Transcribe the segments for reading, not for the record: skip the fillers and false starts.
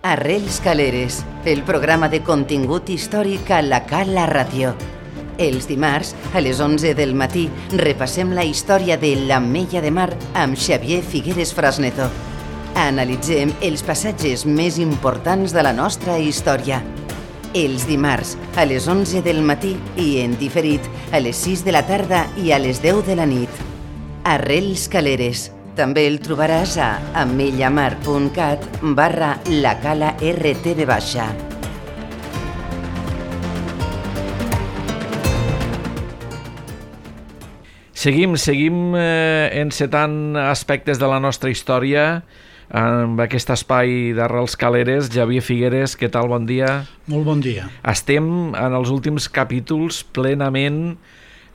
Arrels Caleres, el programa de contingut històric a la Cala Ràdio. Els dimarts, a les 11 del matí, repassem la història de l'Ametlla de Mar amb Xavier Figueres Frasneto. Analitzem els passatges més importants de la nostra història. Els dimarts, a les 11 del matí i en diferit, a les 6 de la tarda i a les 10 de la nit. Arrels Caleres. També el trobaràs a ametllamar.cat/lacala-rtv. Seguim encetant aspectes de la nostra història amb aquest espai d'Arrels Caleres. Xavier Figueres, què tal? Bon dia. Molt bon dia. Estem en els últims capítols plenament,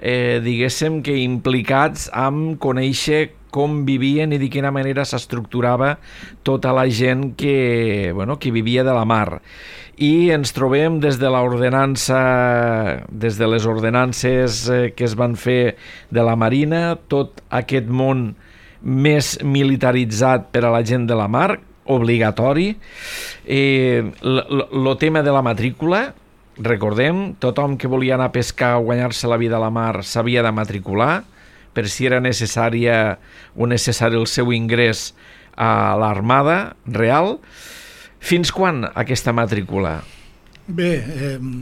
diguéssim que implicats amb conèixer com vivien i de quina manera s'estructurava tota la gent que vivia de la mar. I ens trobem des de les ordenances que es van fer de la Marina, tot aquest món més militaritzat per a la gent de la mar, obligatori. El tema de la matrícula, recordem, tothom que volia anar a pescar o guanyar-se la vida a la mar s'havia de matricular, per si era necessari el seu ingrés a l'Armada Real. Fins quan aquesta matrícula? Bé,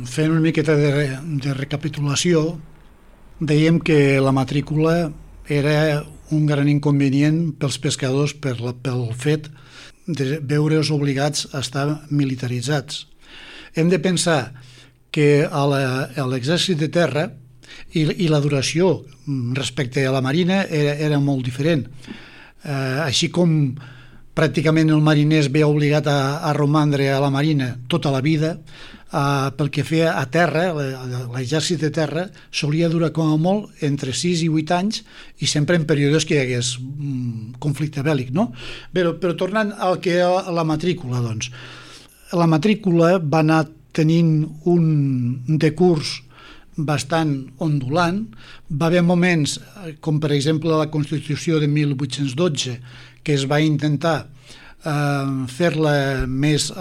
fent una miqueta de recapitulació, dèiem que la matrícula era un gran inconvenient pels pescadors pel fet de veure's obligats a estar militaritzats. Hem de pensar que a l'exèrcit de terra i la duració respecte a la marina era molt diferent. Així com pràcticament el mariner es veia obligat a romandre a la marina tota la vida, pel que feia a terra, l'exèrcit de terra solia durar com a molt entre 6 i 8 anys i sempre en períodes que hi hagués conflicte bèl·lic, no? Però tornant al que a la matrícula, doncs. La matrícula va anar tenint un decurs bastant ondulant. Va haver moments, com per exemple la Constitució de 1812, que es va intentar fer-la més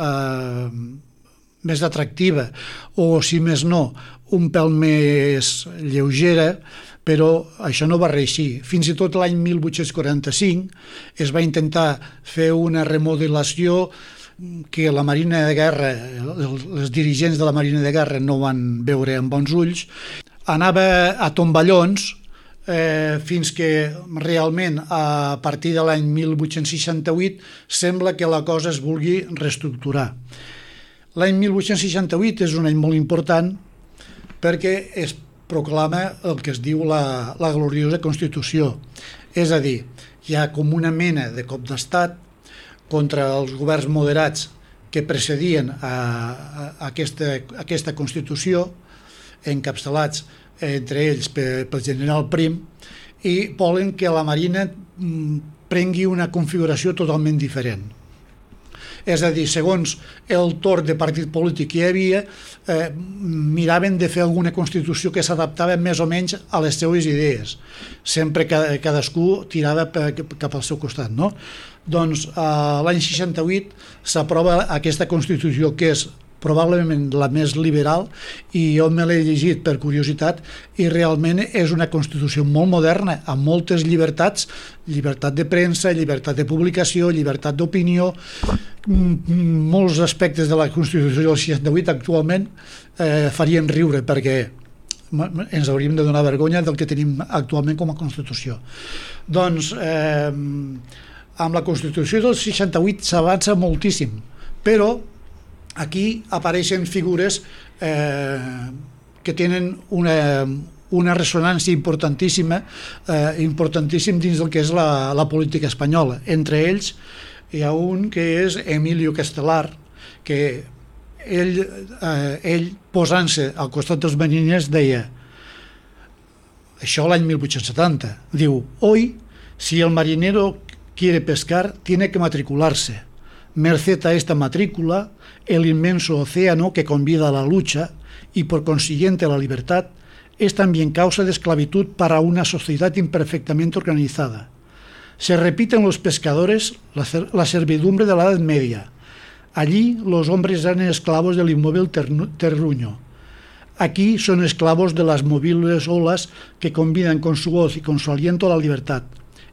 atractiva o, si més no, un pèl més lleugera, però això no va reeixir. Fins i tot l'any 1845 es va intentar fer una remodelació que la Marina de Guerra, els dirigents de la Marina de Guerra no van veure amb bons ulls. Anava a tomballons fins que realment a partir de l'any 1868 sembla que la cosa es vulgui reestructurar. L'any 1868 és un any molt important perquè es proclama el que es diu la gloriosa Constitució. És a dir, hi ha com una mena de cop d'estat contra els governs moderats que precedien a aquesta Constitució, encapçalats entre ells pel general Prim, i volen que la Marina prengui una configuració totalment diferent. És a dir, segons el torn de partit polític que hi havia, miraven de fer alguna Constitució que s'adaptava més o menys a les seues idees. Sempre cadascú tirava cap al seu costat, no? Doncs l'any 68 s'aprova aquesta Constitució, que és probablement la més liberal, i jo me l'he llegit per curiositat, i realment és una Constitució molt moderna, amb moltes llibertats, llibertat de premsa, llibertat de publicació, llibertat d'opinió. Molts aspectes de la Constitució del 68 actualment farien riure, perquè ens hauríem de donar vergonya del que tenim actualment com a Constitució. Doncs amb la Constitució del 68 s'avança moltíssim, però aquí apareixen figures que tenen una ressonància importantíssim dins del que és la política espanyola. Entre ells hi ha un que és Emilio Castelar, que ell posant-se al costat dels mariners deia, això l'any 1870, diu: hoy, si el marinero quiere pescar, tiene que matricularse. Merced a esta matrícula, el inmenso océano que convida a la lucha y por consiguiente a la libertad es también causa de esclavitud para una sociedad imperfectamente organizada. Se repite en los pescadores la servidumbre de la Edad Media, Allí los hombres eran esclavos del inmóvil terruño. Aquí son esclavos de las movibles olas que combinan con su voz y con su aliento la libertad.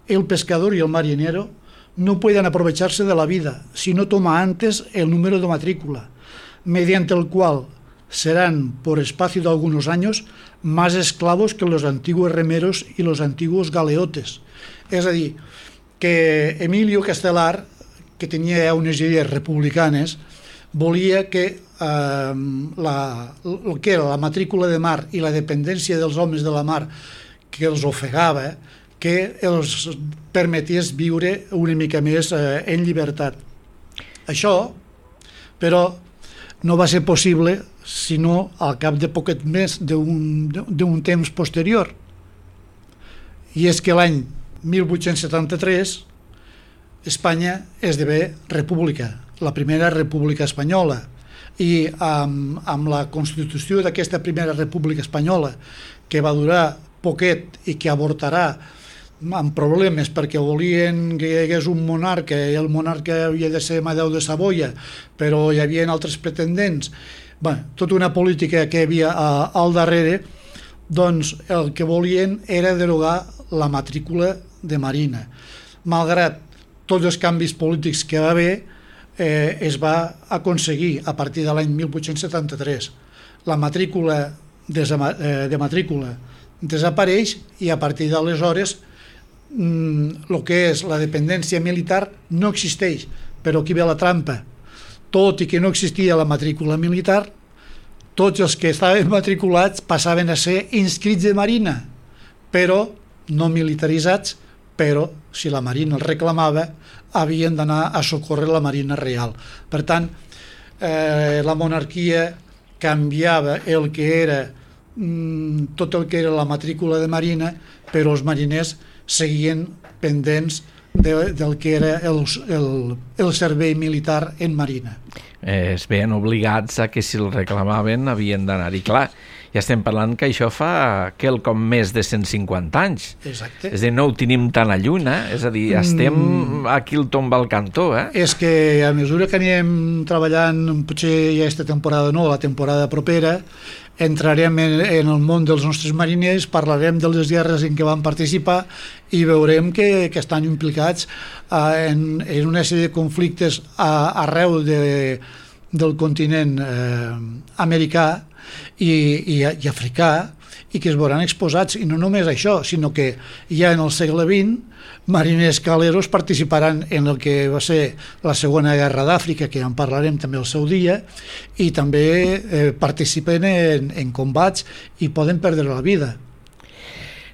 El pescador y el marinero no pueden aprovecharse de la vida si no toma antes el número de matrícula, mediante el cual serán, por espacio de algunos años, más esclavos que los antiguos remeros y los antiguos galeotes. És a dir, que Emilio Castelar, que tenia unes idees republicanes, volia que el que era la matrícula de mar i la dependència dels homes de la mar que els ofegava, que els permetés viure una mica més en llibertat. Això, però, no va ser possible sinó al cap de poquet més d'un temps posterior. I és que l'any 1873 Espanya esdevé república, la primera república espanyola, i amb la constitució d'aquesta primera república espanyola, que va durar poquet i que avortarà amb problemes perquè volien que hi hagués un monarca i el monarca havia de ser Amadeu de Savoia, però hi havia altres pretendents, tota una política que hi havia al darrere, doncs el que volien era derogar la matrícula de marina. Malgrat tots els canvis polítics que va haver, es va aconseguir a partir de l'any 1873. La matrícula de matrícula desapareix i a partir d'aleshores el que és la dependència militar no existeix, però aquí ve la trampa. Tot i que no existia la matrícula militar, tots els que estaven matriculats passaven a ser inscrits de marina, però no militaritzats, però si la marina els reclamava havien d'anar a socórrer la marina real. Per tant, la monarquia canviava el que era tot el que era la matrícula de marina, però els mariners seguien pendents del que era el servei militar en marina. Es veien obligats a que si el reclamaven havien d'anar-hi. Clar, ja estem parlant que això fa quelcom més de 150 anys. Exacte. És a dir, no ho tenim tan a lluny, És a dir, estem aquí al tomba al cantó, És que a mesura que anem treballant, potser ja aquesta temporada no, la temporada propera, entrarem en el món dels nostres mariners, parlarem de les guerres en què van participar i veurem que estan implicats en una sèrie de conflictes arreu del continent americà i africà, i que es veuran exposats, i no només això, sinó que ja en el segle XX mariners caleros participaran en el que va ser la Segona Guerra d'Àfrica, que en parlarem també el seu dia, i també participen en combats i poden perdre la vida.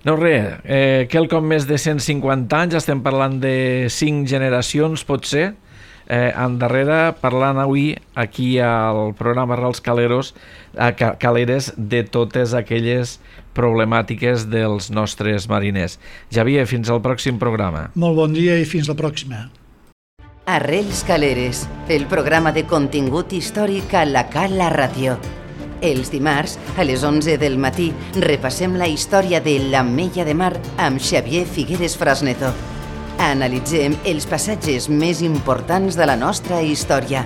No res, quelcom més de 150 anys, estem parlant de 5 generacions, potser, endarrere, parlant avui aquí al programa Arrels Caleres de totes aquelles problemàtiques dels nostres mariners. Javier, fins al pròxim programa. Molt bon dia i fins la pròxima. Arrels Caleres, el programa de contingut històric a la Cala Ràdio. Els dimarts, a les 11 del matí, repassem la història de l'Ametlla de Mar amb Xavier Figueres Frasneto. Analitzem els passatges més importants de la nostra història.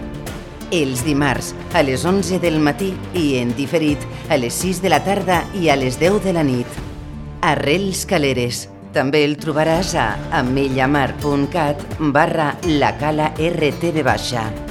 Els dimarts, a les 11 del matí i en diferit, a les 6 de la tarda i a les 10 de la nit. Arrels Caleres. També el trobaràs a ametllamar.cat/lacala RTV-.